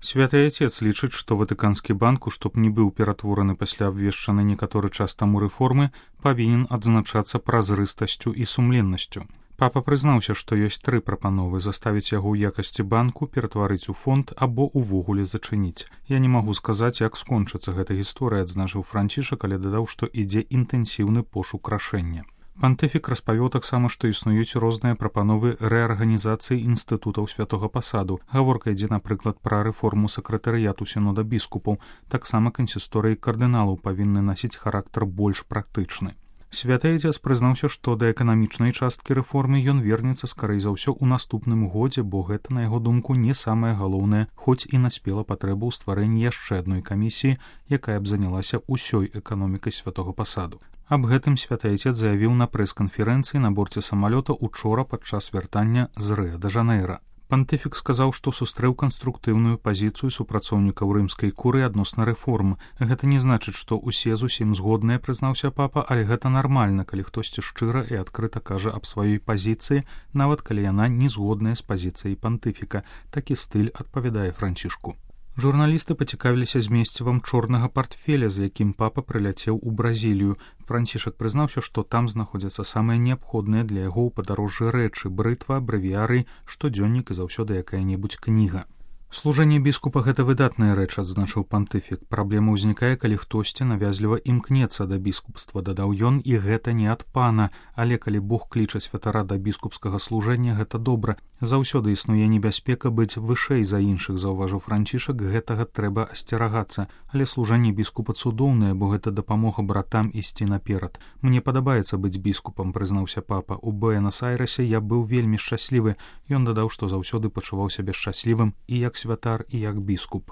Святы Отец лічыць, што Ватыканскі банк, што б не быў ператвораны пасля абвешчанай некаторы час таму рэформы, павінен адзначацца празрыстасцю і сумленнасцю. Папа прызнаўся, што ёсць 3 прапановы: заставіць яго ў якасці банку, ператварыць у фонд або ўвогуле зачыніць. Я не магу сказаць, як скончыцца гэта гісторыя, адзначыў Францішак, але дадаў, што ідзе інтэнсіўны пошук рашэння. Пантыфік распавёў таксама, што існуюць розныя прапановы рэарганізацыі інстытутаў святога пасаду. Гаворка ідзе, напрыклад, пра рэформу сакратарыяту сінода біскупаў. Таксама кансісторыі кардыналаў павінны насіць характар больш практычны. Святы Отец прызнаўся, што да эканамічнай часткі рэформы ён вернецца скарэй за ўсё ў наступным годзе, бо гэта, на яго думку, не самае галоўнае, хоць і наспела патрэба ў стварэнні яшчэ адной камісіі, якая б занялася ўсёй эканомікай святога пасаду. Аб гэтым Святы Отец заявіў на прэс-канферэнцыі на борце самалёта учора падчас вяртання з Рыа-дэ-Жанэйра. Пантыфік сказаў, што сустрэў канструктыўную пазіцыю супрацоўнікаў рымскай куры адносна рэформ. Гэта не значыць, што ўсе зусім згодныя, прызнаўся папа, але гэта нармальна, калі хтосьці шчыра і адкрыта кажа аб сваёй пазіцыі, нават калі яна не згодная з пазіцыяй пантыфіка. Такі стыль адпавядае Францішку. Журналісты пацікавіліся змесцівам чорнага партфеля, з якім папа прыляцеў у Бразілію. Францішак прызнаўся, што там знаходзяцца самыя неабходныя для яго ў падарожжы рэчы: брытва, брэвіярый, штодзённік і заўсёды якая-небудзь кніга. Служэнне біскупа — гэта выдатная рэч, адзначыў пантыфік. Праблема ўзнікае, калі хтосьці навязліва імкнецца да біскупства, дадаў ён, і гэта не ад пана, але калі Бог кліча святара да біскупскага служэння, гэта добра. Заўсёды існуе небяспека быць вышэй за іншых, заўважыў Францішак, гэтага трэба асцерагацца. Але служэнне біскупа цудоўнае, бо гэта дапамога братам ісці наперад. Мне падабаецца быць біскупам, прызнаўся папа. У Буэнас-Айрэсе я быў вельмі шчаслівы. Ён дадаў, што заўсёды пачуваў сябе шчаслівым і як святар, і як біскуп.